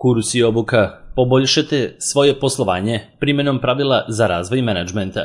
Kurs i obuka. Poboljšajte svoje poslovanje primjenom pravila za razvoj menadžmenta.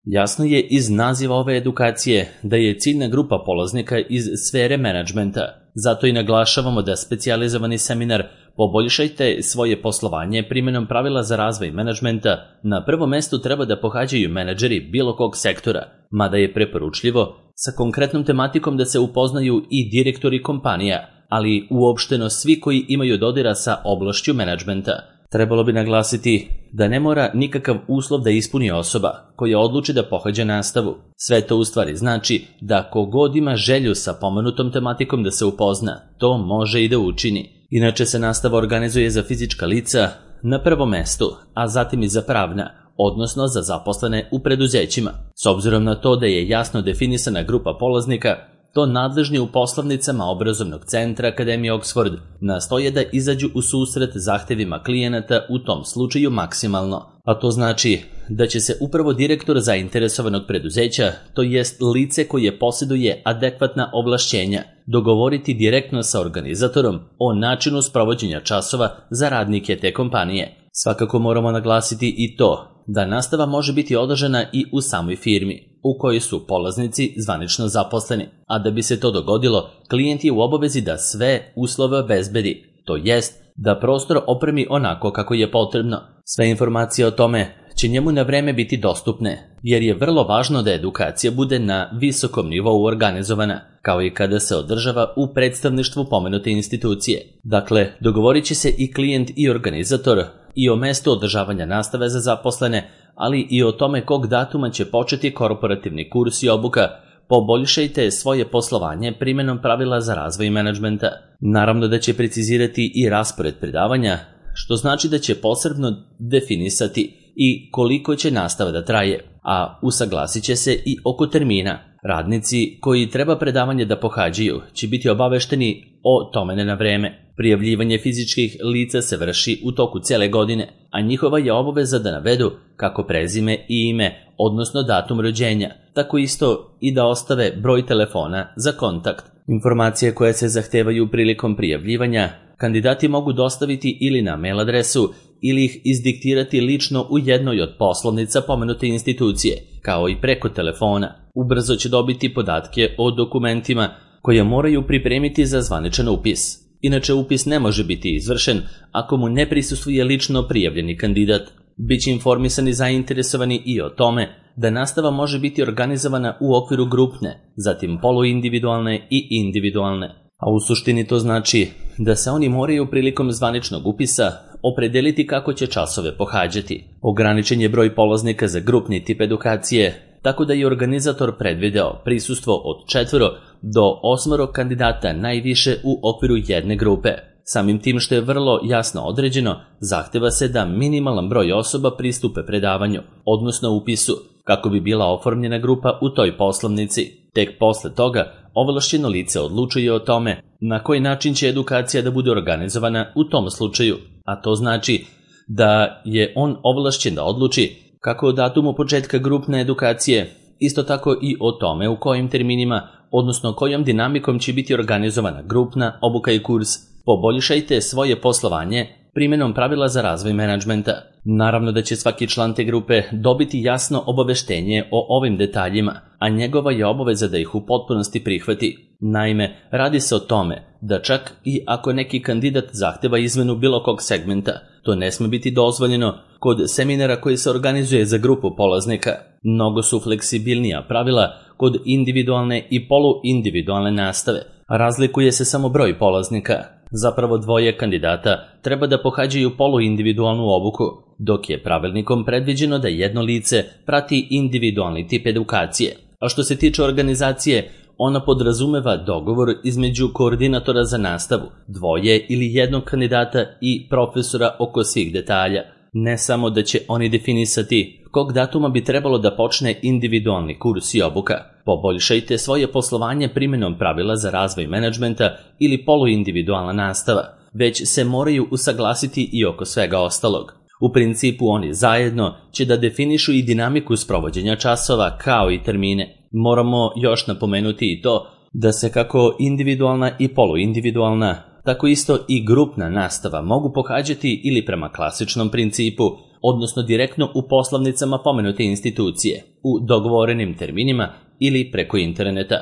Jasno je iz naziva ove edukacije da je ciljna grupa polaznika iz sfere menadžmenta. Zato i naglašavamo da specijalizovani seminar Poboljšajte svoje poslovanje primjenom pravila za razvoj menadžmenta na prvom mestu treba da pohađaju menadžeri bilo kog sektora, mada je preporučljivo sa konkretnom tematikom da se upoznaju i direktori kompanija, ali uopšteno svi koji imaju dodira sa oblašću menadžmenta. Trebalo bi naglasiti da ne mora nikakav uslov da ispuni osoba koja odluči da pohađa nastavu. Sve to u stvari znači da kogod ima želju sa pomenutom tematikom da se upozna, to može i da učini. Inače se nastava organizuje za fizička lica na prvom mestu, a zatim i za pravna, odnosno za zaposlene u preduzećima. S obzirom na to da je jasno definisana grupa polaznika, to nadležni u poslovnicama obrazovnog centra Akademije Oxford nastoje da izađu u susret zahtevima klijenata u tom slučaju maksimalno. A to znači da će se upravo direktor zainteresovanog preduzeća, to jest lice koje posjeduje adekvatna ovlašćenja, dogovoriti direktno sa organizatorom o načinu sprovođenja časova za radnike te kompanije. Svakako moramo naglasiti i to da nastava može biti održana i u samoj firmi u kojoj su polaznici zvanično zaposleni, a da bi se to dogodilo, klijent je u obavezi da sve uslove obezbedi, to jest da prostor opremi onako kako je potrebno. Sve informacije o tome će njemu na vreme biti dostupne, jer je vrlo važno da edukacija bude na visokom nivou organizovana, kao i kada se održava u predstavništvu pomenute institucije. Dakle, dogovorit će se i klijent i organizator i o mestu održavanja nastave za zaposlene, ali i o tome kog datuma će početi korporativni kurs i obuka. Poboljšajte svoje poslovanje primjenom pravila za razvoj menadžmenta. Naravno da će precizirati i raspored predavanja, što znači da će posebno definisati i koliko će nastava da traje, a usaglasit će se i oko termina. Radnici koji treba predavanje da pohađaju će biti obavešteni o tome na vreme. Prijavljivanje fizičkih lica se vrši u toku cele godine, a njihova je obaveza da navedu kako prezime i ime, odnosno datum rođenja, tako isto i da ostave broj telefona za kontakt. Informacije koje se zahtevaju prilikom prijavljivanja kandidati mogu dostaviti ili na mail adresu ili ih izdiktirati lično u jednoj od poslovnica pomenute institucije, kao i preko telefona. Ubrzo će dobiti podatke o dokumentima koje moraju pripremiti za zvaničan upis. Inače, upis ne može biti izvršen ako mu ne prisustvuje lično prijavljeni kandidat. Biće informisani zainteresovani i o tome da nastava može biti organizovana u okviru grupne, zatim poluindividualne i individualne. A u suštini to znači da se oni moraju prilikom zvaničnog upisa opredeliti kako će časove pohađati. Ograničen je broj polaznika za grupni tip edukacije, tako da je organizator predvideo prisustvo od 4 do 8 kandidata najviše u okviru jedne grupe. Samim tim što je vrlo jasno određeno, zahteva se da minimalan broj osoba pristupe predavanju, odnosno upisu, kako bi bila oformljena grupa u toj poslovnici. Tek posle toga, ovlašćeno lice odlučuje o tome na koji način će edukacija da bude organizovana u tom slučaju, a to znači da je on ovlašćen da odluči kako o datumu početka grupne edukacije, isto tako i o tome u kojim terminima, odnosno kojom dinamikom će biti organizovana grupna obuka i kurs. Poboljšajte svoje poslovanje primjenom pravila za razvoj menadžmenta. Naravno da će svaki član te grupe dobiti jasno obaveštenje o ovim detaljima, a njegova je obaveza da ih u potpunosti prihvati. Naime, radi se o tome da čak i ako neki kandidat zahteva izmenu bilo kog segmenta, to ne sme biti dozvoljeno kod seminara koji se organizuje za grupu polaznika. Mnogo su fleksibilnija pravila kod individualne i poluindividualne nastave. Razlikuje se samo broj polaznika. Zapravo 2 kandidata treba da pohađaju poluindividualnu obuku, dok je pravilnikom predviđeno da jedno lice prati individualni tip edukacije. A što se tiče organizacije, ona podrazumeva dogovor između koordinatora za nastavu, 2 ili 1 kandidata i profesora oko svih detalja. Ne samo da će oni definisati kog datuma bi trebalo da počne individualni kurs i obuka. Poboljšajte svoje poslovanje primjenom pravila za razvoj menadžmenta ili poluindividualna nastava, već se moraju usaglasiti i oko svega ostalog. U principu oni zajedno će da definišu i dinamiku sprovođenja časova kao i termine. Moramo još napomenuti i to da se kako individualna i poluindividualna, tako isto i grupna nastava mogu pohađati ili prema klasičnom principu, odnosno direktno u poslovnicama pomenute institucije, u dogovorenim terminima ili preko interneta.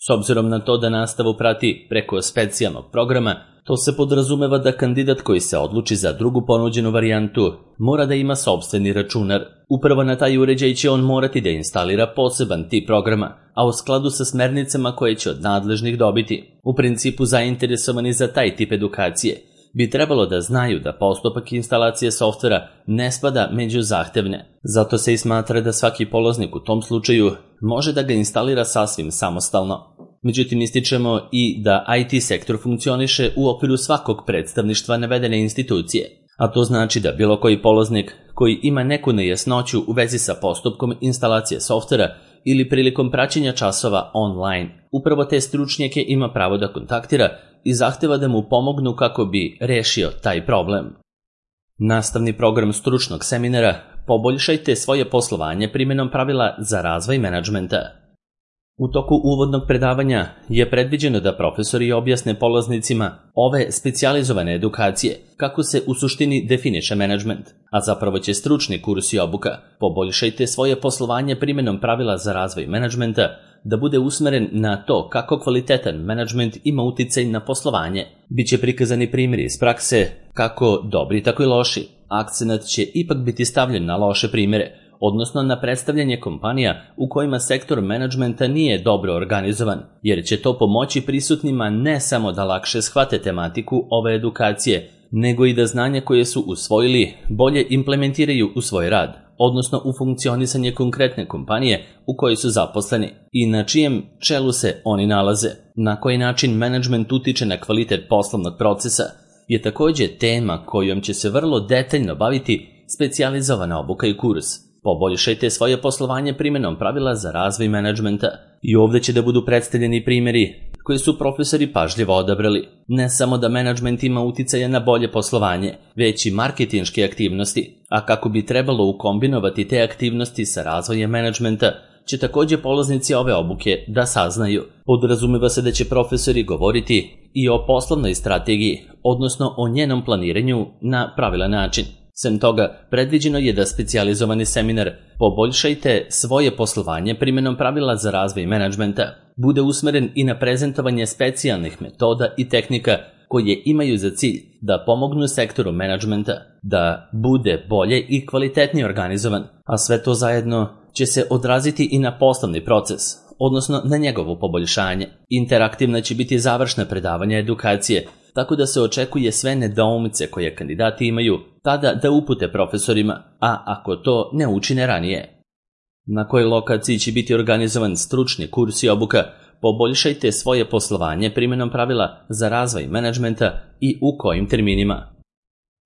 S obzirom na to da nastavu prati preko specijalnog programa, to se podrazumeva da kandidat koji se odluči za drugu ponuđenu varijantu mora da ima sopstveni računar. Upravo na taj uređaj će on morati da instalira poseban tip programa, a u skladu sa smernicama koje će od nadležnih dobiti. U principu zainteresovani za taj tip edukacije bi trebalo da znaju da postupak instalacije softvera ne spada među zahtevne. Zato se i smatra da svaki polaznik u tom slučaju može da ga instalira sasvim samostalno. Međutim, ističemo i da IT sektor funkcioniše u okviru svakog predstavništva navedene institucije, a to znači da bilo koji polaznik koji ima neku nejasnoću u vezi sa postupkom instalacije softvera ili prilikom praćenja časova online, upravo te stručnjake ima pravo da kontaktira i zahteva da mu pomognu kako bi rešio taj problem. Nastavni program stručnog seminara Poboljšajte svoje poslovanje primjenom pravila za razvoj menadžmenta. U toku uvodnog predavanja je predviđeno da profesori objasne polaznicima ove specijalizovane edukacije kako se u suštini definiše menadžment, a zapravo će stručni kurs i obuka Poboljšajte svoje poslovanje primjenom pravila za razvoj menadžmenta da bude usmeren na to kako kvalitetan menadžment ima uticaj na poslovanje. Biće prikazani primjeri iz prakse, kako dobri tako i loši. Akcenat će ipak biti stavljen na loše primjere, odnosno na predstavljanje kompanija u kojima sektor menadžmenta nije dobro organizovan, jer će to pomoći prisutnima ne samo da lakše shvate tematiku ove edukacije, nego i da znanja koje su usvojili bolje implementiraju u svoj rad, odnosno u funkcionisanje konkretne kompanije u kojoj su zaposleni i na čijem čelu se oni nalaze. Na koji način menadžment utiče na kvalitet poslovnog procesa je također tema kojom će se vrlo detaljno baviti specijalizovana obuka i kurs. Poboljšajte svoje poslovanje primjenom pravila za razvoj menadžmenta. I ovdje će da budu predstavljeni primjeri koji su profesori pažljivo odabrali. Ne samo da menadžment ima uticaja na bolje poslovanje, već i marketinške aktivnosti, a kako bi trebalo ukombinovati te aktivnosti sa razvojem menadžmenta, će također polaznici ove obuke da saznaju. Podrazumeva se da će profesori govoriti i o poslovnoj strategiji, odnosno o njenom planiranju na pravilan način. Sem toga, predviđeno je da specijalizovani seminar Poboljšajte svoje poslovanje primjenom pravila za razvoj menadžmenta bude usmeren i na prezentovanje specijalnih metoda i tehnika koje imaju za cilj da pomognu sektoru menadžmenta da bude bolje i kvalitetnije organizovan, a sve to zajedno će se odraziti i na poslovni proces, odnosno na njegovo poboljšanje. Interaktivna će biti završna predavanja edukacije, tako da se očekuje sve nedoumice koje kandidati imaju tada da upute profesorima, a ako to ne učine ranije. Na kojoj lokaciji će biti organizovan stručni kurs i obuka Poboljšajte svoje poslovanje primjenom pravila za razvoj menadžmenta i u kojim terminima.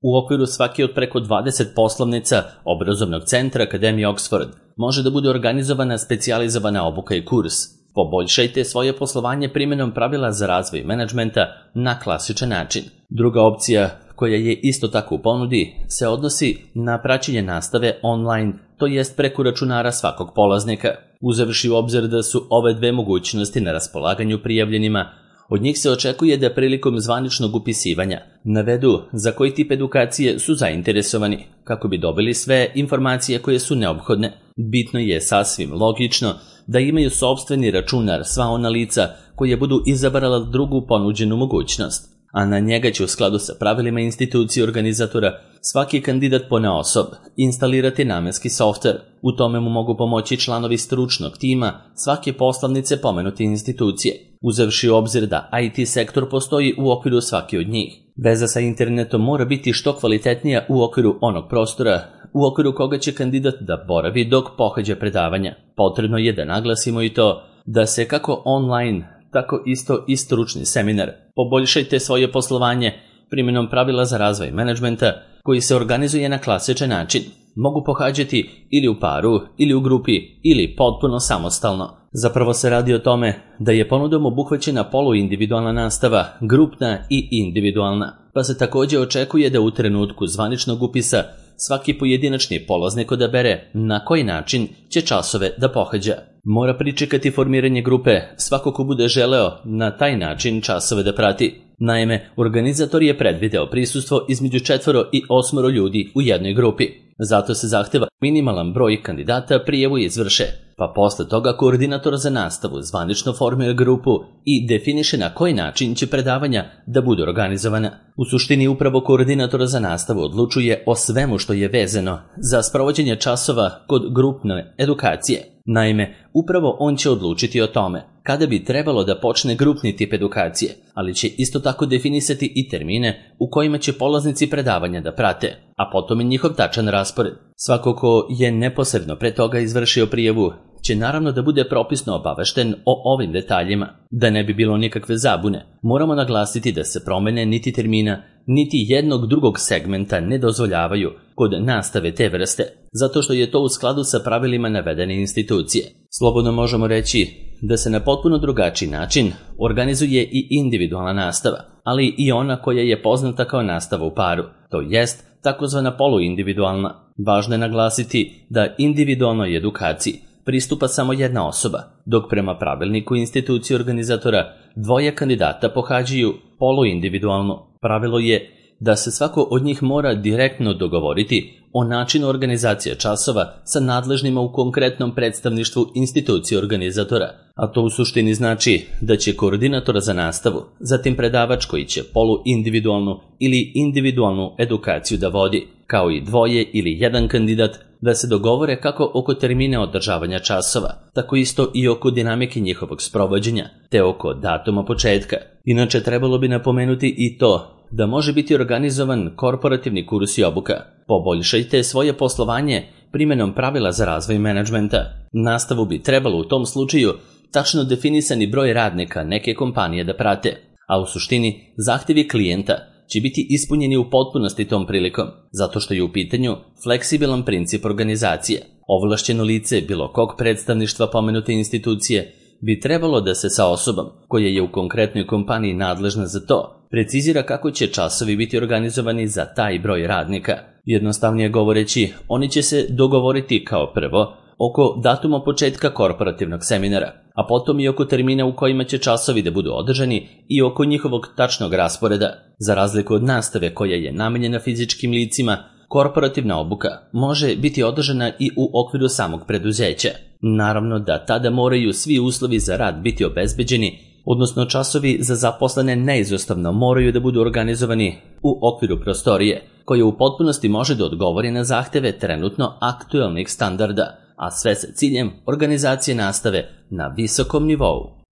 U okviru svake od preko 20 poslovnica obrazovnog centra Akademije Oxford može da bude organizovana specijalizovana obuka i kurs Poboljšajte svoje poslovanje primjenom pravila za razvoj menadžmenta na klasičan način. Druga opcija, koja je isto tako u ponudi, se odnosi na praćenje nastave online, to jest preko računara svakog polaznika. Uzevši u obzir da su ove dve mogućnosti na raspolaganju prijavljenima, od njih se očekuje da prilikom zvaničnog upisivanja navedu za koji tip edukacije su zainteresovani, kako bi dobili sve informacije koje su neophodne. Bitno je sasvim logično da imaju sopstveni računar sva ona lica koje budu izabrala drugu ponuđenu mogućnost, a na njega će u skladu sa pravilima institucije organizatora svaki kandidat ponaosob instalirati namenski softver. U tome mu mogu pomoći članovi stručnog tima svake poslovnice pomenute institucije, uzevši u obzir da IT sektor postoji u okviru svake od njih. Veza sa internetom mora biti što kvalitetnija u okviru onog prostora u okviru koga će kandidat da boravi dok pohađa predavanja. Potrebno je da naglasimo i to da se kako online, tako isto i stručni seminar Poboljšajte svoje poslovanje primjenom pravila za razvoj menadžmenta koji se organizuje na klasičan način mogu pohađati ili u paru, ili u grupi, ili potpuno samostalno. Zapravo se radi o tome da je ponudom obuhvaćena poluindividualna nastava, grupna i individualna, pa se također očekuje da u trenutku zvaničnog upisa svaki pojedinačni polaznik odabere na koji način će časove da pohađa. Mora pričekati formiranje grupe svako ko bude želeo na taj način časove da prati. Naime, organizator je predvideo prisustvo između 4 i 8 ljudi u jednoj grupi. Zato se zahteva minimalan broj kandidata prijavu izvrše, pa posle toga koordinator za nastavu zvanično formira grupu i definiše na koji način će predavanja da budu organizovana. U suštini upravo koordinator za nastavu odlučuje o svemu što je vezano za sprovođenje časova kod grupne edukacije. Naime, upravo on će odlučiti o tome kada bi trebalo da počne grupni tip edukacije, ali će isto tako definisati i termine u kojima će polaznici predavanja da prate, a potom i njihov tačan raspored. Svako ko je neposredno pre toga izvršio prijavu će naravno da bude propisno obavešten o ovim detaljima. Da ne bi bilo nikakve zabune, moramo naglasiti da se promene niti termina, niti jednog drugog segmenta ne dozvoljavaju kod nastave te vrste, zato što je to u skladu sa pravilima navedene institucije. Slobodno možemo reći da se na potpuno drugačiji način organizuje i individualna nastava, ali i ona koja je poznata kao nastava u paru, to jest takozvana poluindividualna. Važno je naglasiti da individualnoj edukaciji pristupa samo jedna osoba, dok prema pravilniku institucije organizatora 2 kandidata pohađaju poluindividualno. Pravilo je da se svako od njih mora direktno dogovoriti o načinu organizacije časova sa nadležnima u konkretnom predstavništvu institucije organizatora, a to u suštini znači da će koordinator za nastavu, zatim predavač koji će poluindividualnu ili individualnu edukaciju da vodi, kao i 2 ili 1 kandidat, da se dogovore kako oko termina održavanja časova, tako isto i oko dinamike njihovog sprovođenja, te oko datuma početka. Inače, trebalo bi napomenuti i to da može biti organizovan korporativni kurs i obuka. Poboljšajte svoje poslovanje primenom pravila za razvoj menadžmenta. Nastavu bi trebalo u tom slučaju tačno definisani broj radnika neke kompanije da prate, a u suštini zahtevi klijenta će biti ispunjeni u potpunosti tom prilikom, zato što je u pitanju fleksibilan princip organizacije. Ovlašćeno lice bilo kog predstavništva pomenute institucije bi trebalo da se sa osobom koja je u konkretnoj kompaniji nadležna za to precizira kako će časovi biti organizovani za taj broj radnika. Jednostavnije govoreći, oni će se dogovoriti kao prvo oko datuma početka korporativnog seminara, a potom i oko termina u kojima će časovi da budu održani i oko njihovog tačnog rasporeda. Za razliku od nastave koja je namenjena fizičkim licima, korporativna obuka može biti održana i u okviru samog preduzeća. Naravno da tada moraju svi uslovi za rad biti obezbeđeni, odnosno časovi za zaposlene neizostavno moraju da budu organizovani u okviru prostorije, koja u potpunosti može da odgovori na zahteve trenutno aktuelnih standarda, a sve sa ciljem organizacije nastave na visokom nivou.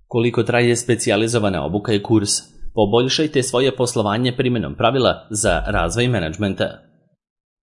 Koliko traje specijalizovana obuka i kurs? Poboljšajte svoje poslovanje primenom pravila za razvoj menadžmenta.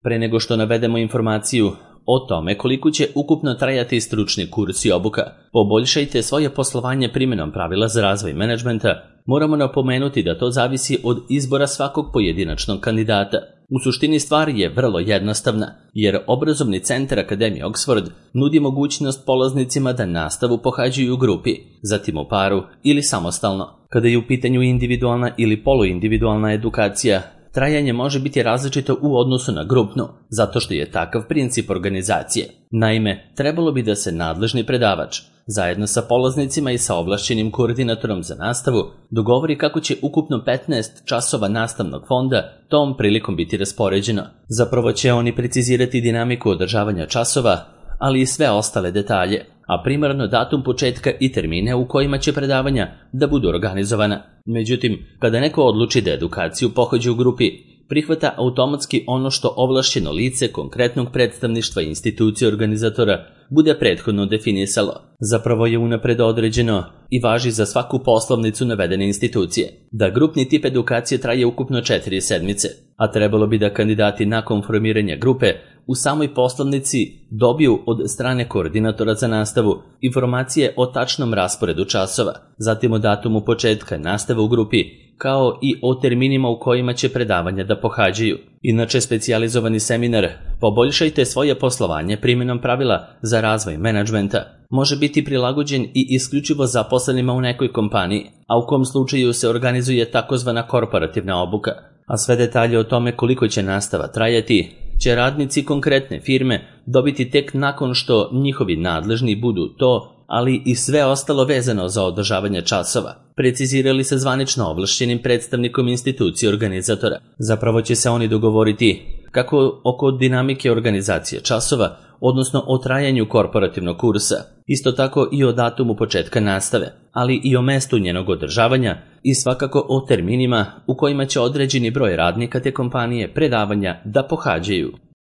Pre nego što navedemo informaciju o tome koliko će ukupno trajati stručni kurs i obuka, poboljšajte svoje poslovanje primenom pravila za razvoj menadžmenta, moramo napomenuti da to zavisi od izbora svakog pojedinačnog kandidata. U suštini stvar je vrlo jednostavna, jer obrazovni centar Akademije Oxford nudi mogućnost polaznicima da nastavu pohađaju u grupi, zatim u paru ili samostalno. Kada je u pitanju individualna ili poluindividualna edukacija, trajanje može biti različito u odnosu na grupnu, zato što je takav princip organizacije. Naime, trebalo bi da se nadležni predavač, zajedno sa polaznicima i sa ovlašćenim koordinatorom za nastavu, dogovori kako će ukupno 15 časova nastavnog fonda tom prilikom biti raspoređeno. Zapravo će oni precizirati dinamiku održavanja časova, ali i sve ostale detalje, a primarno datum početka i termine u kojima će predavanja da budu organizovana. Međutim, kada neko odluči da edukaciju pohađa u grupi, prihvata automatski ono što ovlašćeno lice konkretnog predstavništva institucije organizatora bude prethodno definisalo. Zapravo je unapred određeno i važi za svaku poslovnicu navedene institucije da grupni tip edukacije traje ukupno 4 sedmice, a trebalo bi da kandidati nakon formiranja grupe u samoj poslovnici dobiju od strane koordinatora za nastavu informacije o tačnom rasporedu časova, zatim o datumu početka nastave u grupi, kao i o terminima u kojima će predavanja da pohađaju. Inače, specijalizovani seminar Poboljšajte svoje poslovanje primjenom pravila za razvoj menadžmenta može biti prilagođen i isključivo zaposlenima u nekoj kompaniji, a u kom slučaju se organizuje takozvana korporativna obuka, a sve detalje o tome koliko će nastava trajati će radnici konkretne firme dobiti tek nakon što njihovi nadležni budu to, ali i sve ostalo vezano za održavanje časova, precizirali se zvanično ovlašćenim predstavnikom institucije organizatora. Zapravo će se oni dogovoriti kako oko dinamike organizacije časova, odnosno o trajanju korporativnog kursa, isto tako i o datumu početka nastave, ali i o mestu njenog održavanja i svakako o terminima u kojima će određeni broj radnika te kompanije predavanja da pohađaju.